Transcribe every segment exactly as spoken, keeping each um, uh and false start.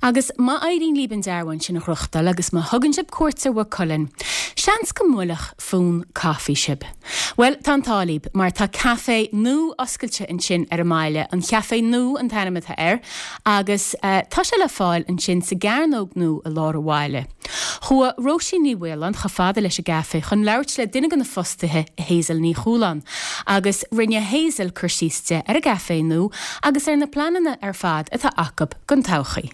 Agus má éiríonn libh an dearbhán sin a ghnóthachtáil agus má thugann sibh cuairt ar Mhaigh Cuilinn, seans go mbuailfeadh fonn caife sibh. Well tá an t-ádh libh mar tá caife nua oscailte ansin ar an mbaile, an Caife Nua an t-ainm atá air, agus uh, tá sé le fáil ansin sa gCearnóg nua i lár an bhaile. Chuaigh Róisín Ní Mhaoláin chomh fada leis an gcaife chun labhairt le duine de na fostaithe Hazel Ní Chualáin, agus rinne Hazel cur síos di ar an gcaife nua agus ar na pleananna ar fad atá acu don todhchaí.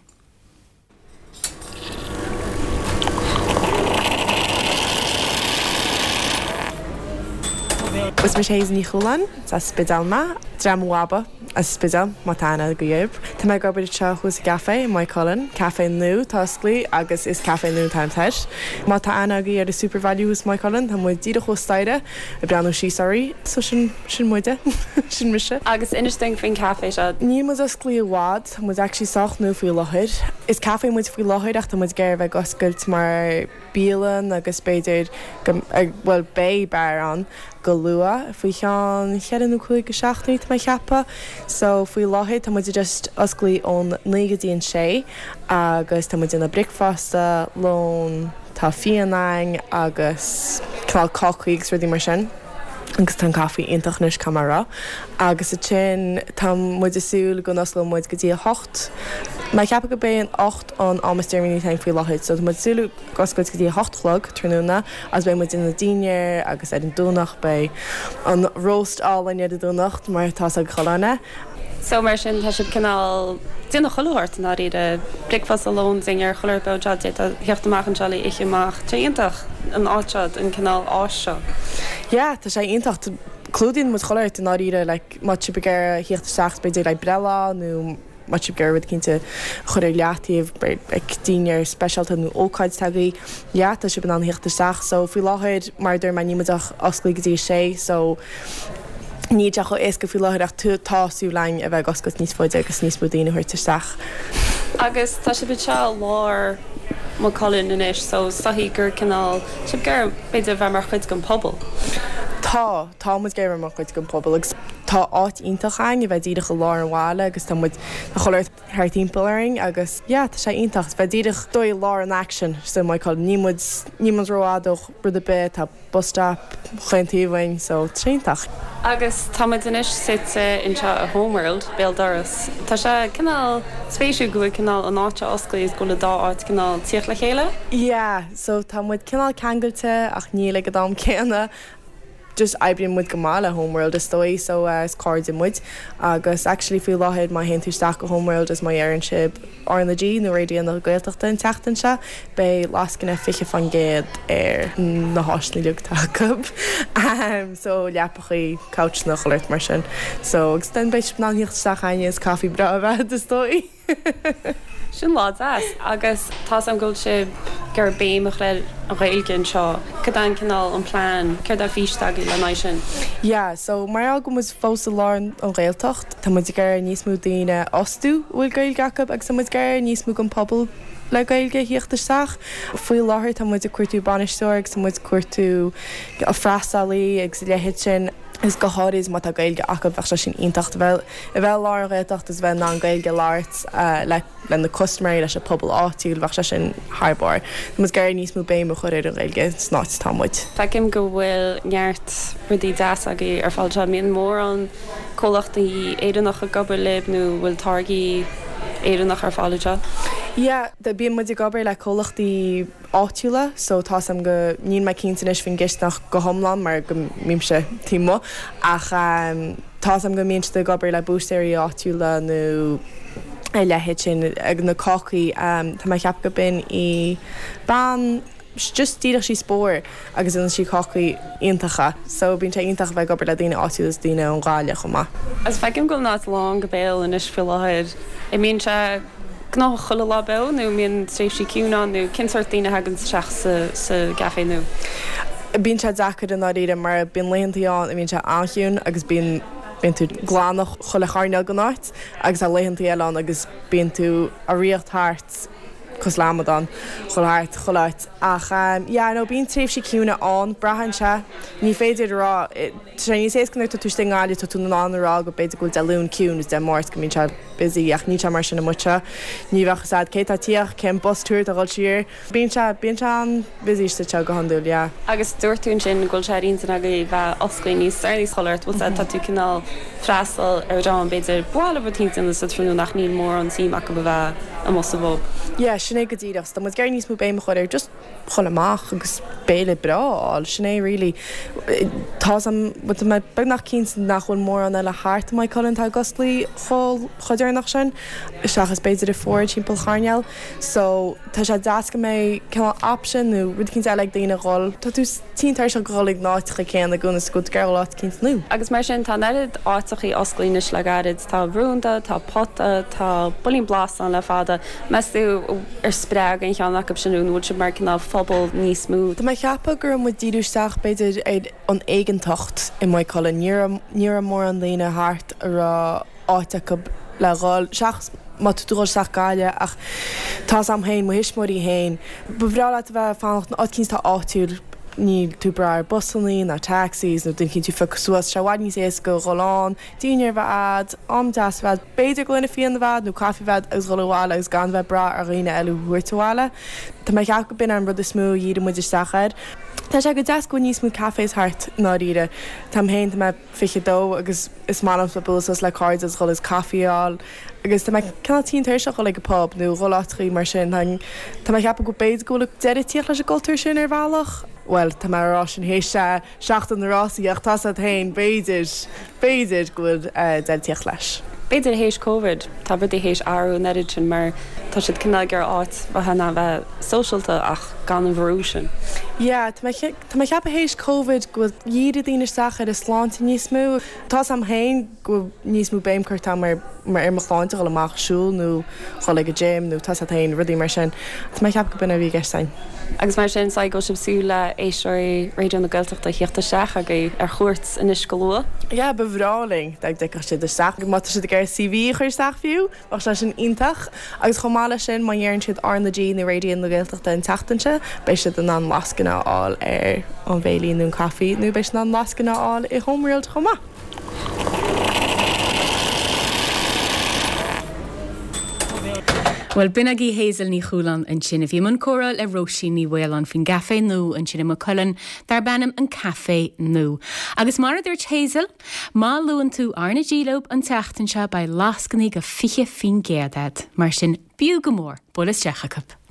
Is mise Hazel Ní Chualáin as Spidéal mé, Dream Waba as Spidéal má tá aithne agaibh. Tá mé ag obair anseo thuas sa gcaife i Maigh Cuilinn, caife nua atá osclaithe agus is caife nua an t-ainm atá air. Má tá aithne agaibh ar an Supervalu thuas i Maigh Cuilinn, tá muid díreach thuas staighre ag breathnú síos oraibh, so sin sin muide, sin mise. Agus inis dúinn faoin caife seo. Níl muid osclaithe i bhfad, tá muid actually sách nua faoi láthair. Is caife muid faoi láthair ach tá muid ag iarraidh a bheith ag oscailt mar bialann agus b'fhéidir go bhuel beidh beár ann go luath faoi cheann cheithre nó cúig go seachtainí tá mé ag ceapadh. So faoi láthair tá muid just osclaithe ón naoi go dtí an sé agus tá muid ag déanamh bricfeasta, lón, tá fíon againn agus cineál cácaí agus rudaí mar sin. Agus tá an caife iontach anois caithfidh mé a rá. Agus ansin tá muid ag súil go n-osclóidh muid go dtí a hocht. Mé ag ceapadh go b'é an ocht an am is deireanaí atá againn faoi láthair. So tá muid ag súil ag oscailt go dtí a hocht a chlog tráthnóna agus beidh muid ag déanamh dinnéar agus ar an Domhnach beidh an roast álainn ar an Domhnach mar atá ag chuile dhuine. So mar sin tá sibh cineál déanamh chuile shórt i ndáiríre, bricfeasta, lón, dinnéar, chuile shórt beo anseo, d'fhéadfá theacht amach anseo le ithe amach. Tá sé iontach an áit seo, an cineál áis seo. Yeah, tá sé iontach. Clúdaíonn muid chuile shórt i ndáiríre, like má tá sibh ag iarraidh theacht isteach b'fhéidir le breithlá nó má tá sibh ag iarraidh rud eicínt a chur ar leataobh, like dinnéar speisialta nó ócáid atá agaibh, yeah, tá sibh in ann theacht isteach. So faoi láthair, mar a dúirt mé, níl muid ach osclaithe go dtí a sé, so níl sé chomh éasca faoi láthair ach tá súil againn a bheith ag oscailt níos faide agus níos mó daoine a thabhairt isteach. Agus tá sibh anseo i lár Maigh Cuilinn anois so is dóichí gur cineál, sibh ag iarraidh b'fhéidir a bheith mar chuid den phobal. Tá, tá muid ag iarraidh a bheith mar chuid den phobal agus tá áit iontach againn a bheith díreach i lár an bhaile agus tá muid, tá chuile shórt thart timpeall orainn agus yeah tá sé iontach a bheith díreach dóigh i lár an action sa Maigh Cuilinn. Níl muid, níl muid rófhada ó rud ar bith, tá bus stop chaon taobh uainn so tá sé iontach. Agus tá muid anois suite anseo i Homeworld, béal dorais. Tá sé cineál spéisiúil go bhfuil cineál an áit seo osclaithe is go bhfuil an dá áit cineál tíocht le chéile. Yeah, so tá muid cineál ceangailte ach níl ag an am céanna. Just oibríonn muid go maith le Homeworld is dóigh so is cairde muid agus actually faoi láthair má théann tú isteach go Homeworld is má dheireann sibh R na G nó Raidió na Gaeltachta an tseachtain seo beidh lascaine fiche faoin gcéad ar na háiseanna uilig atá acu so leapachaí, couchanna, chuile shórt mar sin so agus then beidh sibh in ann theacht isteach againne is caife breá a bheith is dóigh. Sin lá deas. Agus tá 's agam go bhfuil sibh ag iarraidh béim a chur ar an Ghaeilge anseo. Cad é an cineál an plean, céard é an fís atá agaibh lena aghaidh sin? Yeah, so mar gheall go bhfuil muid fós i lár an Ghaeltacht, tá muid ag iarraidh níos mó daoine a fhostú a bhfuil Gaeilge acu agus tá muid ag iarraidh níos mó den pobal le Gaeilge a thíocht isteach. Faoi láthair tá muid ag cuartú bainisteoir agus tá muid ag cuartú freastalaí agus a leithéid sin. Agus go háirid má tá Gaeilge acu bheadh sé sin iontach a bheith a bheith i lár an Ghaeltacht agus a bheith in ann Gaeilge a labhairt le le na custaiméirí, leis an pobal áitiúil, bheadh sé sin thar barr. Tá muid ag iarraidh níos mó béim a chur ar an Ghaeilge san áit atá muid. Feicim go bhfuil neart rudaí deas agaibh ar fáil anseo. An mbíonn mórán comhlachtaí Éireannacha ag obair libh nó bhfuil táirgí Éireannach ar fáil anseo? Yeah, bíonn muid ag obair le comhlachtaí áitiúla so tá 's agam go, níl mé cinnte anois faoin gcisteanach go hiomlán mar go mbímse taobh amuigh ach tá 's agam go mbíonn siad ag obair le búistéirí áitiúla nó a leithéid sin ag na cácaí tá mé ag ceapadh go b'in í bean just díreach síos bóthar agus déanann sí cácaí iontacha so bíonn sé iontach a bheith ag obair le daoine áitiúla is daoine ón bhaile chomh maith. Agus feicim go bhfuil an áit lán go béal anois faoi láthair. An mbíonn sé gnóthach chuile lá beo nó an mbíonn tréimhsí ciúine ann nó cén sórt daoine a thagann isteach sa sa gcaife nua? Bíonn sé deacair i ndáiríre mar bíonn laethantaí ann a mbíonn sé an-chiúin agus bíonn bíonn tú ag glanadh chuile choirnéal den áit agus tá laethantaí eile ann agus bíonn tú ag rith thart cosúil le amadán dhul thart chuile áit ach um, yeah, no, bíonn tréimhsí ciúine ann braitheann sé ní féidir rá sé níos éasca nuair tá tú istigh i nGaillimh tá tú in ann a rá go b'fhéidir go bhfuil Dé Luain ciúin is Dé Máirt go mbíonn sé busy ach níl sé mar sin amuigh anseo ní bheadh a fhios agat cé tá ag tíocht cén bus tour atá ag dul siar bíonn sé bíonn sé an-busy istigh go hiondúil yeah. Agus dúirt tú ansin go bhfuil sé ar intinn agaibh bheith oscailte níos deireanaí chuile shórt bhfuil tá tú cineál freastal ar dream b'fhéidir bhfuil rud éicint sa tráthnóna nach níl mórán suim acu a bheith amuigh sa bpub. Yeah, sin é go díreach, tá muid ag iarraidh níos mó béim a chur ar just dhul amach agus béile breá a fháil sin é really. Tá mé beagnach cinnte nach bhfuil mórán eile thart i Maigh Cuilinn atá ag oscailt chomh chomh deireanach sin seachas b'fhéidir i Ford timpeall Chairneil so tá sé deas go mbeidh cineál option nó rud éicint eile ag daoine dhul Tá tú tinn tuirseach dhul ag na háiteacha céanna i gcónaí is go dtig áit éicint nua. Agus mar sin tá an oiread áiteachaí oscailte anois le gairid tá Rúnda, tá Pota, tá Builín Blas ann le fada. Meas tú ar spreag aon cheann acu sin nó bhfuil sibh mar cineál phobal níos mó. Tá mé ag ceapadh go raibh muid díriú isteach b'fhéidir ar an éigeantacht i Maigh Cuilinn ní raibh mórán daoine thart a raibh áit acu le dhul seachas má tá tú ag dul isteach Gaillimh ach tá a fhios agam féin mo thuismitheoirí féin ba bhreá leat a bheith fanacht in áit éicint atá áitiúil níl tú ag brath ar busanna ná taxis nó duine éicint tú a phiocadh suas sé i bhfad níos éasca dhul ann dinnéar a bheith agat am deas a bheith b'fhéidir gloine fíona a bheith agat nó caife a bheith agat agus dhul abhaile agus gan bheith ag brath ar dhaoine eile a thabhairt abhaile Tá mé ag ceapadh go b'in an rud is mó a dhírigh muid isteach air. Tá sé go deas go bhfuil níos mó cafés thart i ndáiríre. Táim féin tá mé fiche dó agus is maith liom bualadh suas le cairde agus dhul is caife a fháil agus tá mé cineál tinn tuirseach dhul ag an pub nó dhul áiteachaí mar sin tá mé ag ceapadh go b'fhéidir go bhfuil deireadh ag tíocht leis an gcultúr sin ar bhealach. Well tá mé ag rá sin théis seachtain na rásaí ach tá a fhios agat féin b'fhéidir b'fhéidir go bhfuil deireadh ag tíocht leis. B'fhéidir théis Covid tá rudaí théis athrú an oiread sin mar tá siad cineál ag iarraidh áit bheith ina bheith sóisialta ach gan an bhrú sin. Yeah, tá mé tá mé ag ceapadh théis Covid go bhfuil dhírigh daoine isteach ar a sláinte níos mó. Tá a fhios agam féin go bhfuil níos mó béim curtha agam ar mar ar mo shláinte dhul amach siúl nó dhul ag an gym nó tá a fhios agat féin rudaí mar sin. Tá mé ag ceapadh go b'in a bhí i gceist againn. Agus mar sin sa go sibh súil le éisteoirí Raidió na Gaeltachta theacht isteach agaibh ar chuairt anois go luath. Yeah, ba bhreá linn dá dtiocfadh siad isteach má tá siad ag iarraidh CV a chur isteach fiú, bheadh sé sin iontach agus chomh maith leis sin má dheireann siad R na G nó Raidió na Gaeltachta an tseachtain seo, beidh siad in ann lascaine a fháil ar an bhéile nó an caife nó beidh siad in ann lascaine a fháil i Homeworld chomh maith. Bhuel b'in agaibh Hazel Ní Chualáin ansin a bhí i mbun comhrá le Róisín Ní Mhaoláin faoin gcaifé nua ansin i Maigh Cuilinn darb ainm an Café Nua. Agus mar a dúirt Hazel, má luann tú R na G leo an tseachtain seo beidh lascainí go fiche faoin gcéad agat, mar sin b'fhiú go mór bualadh isteach chucu.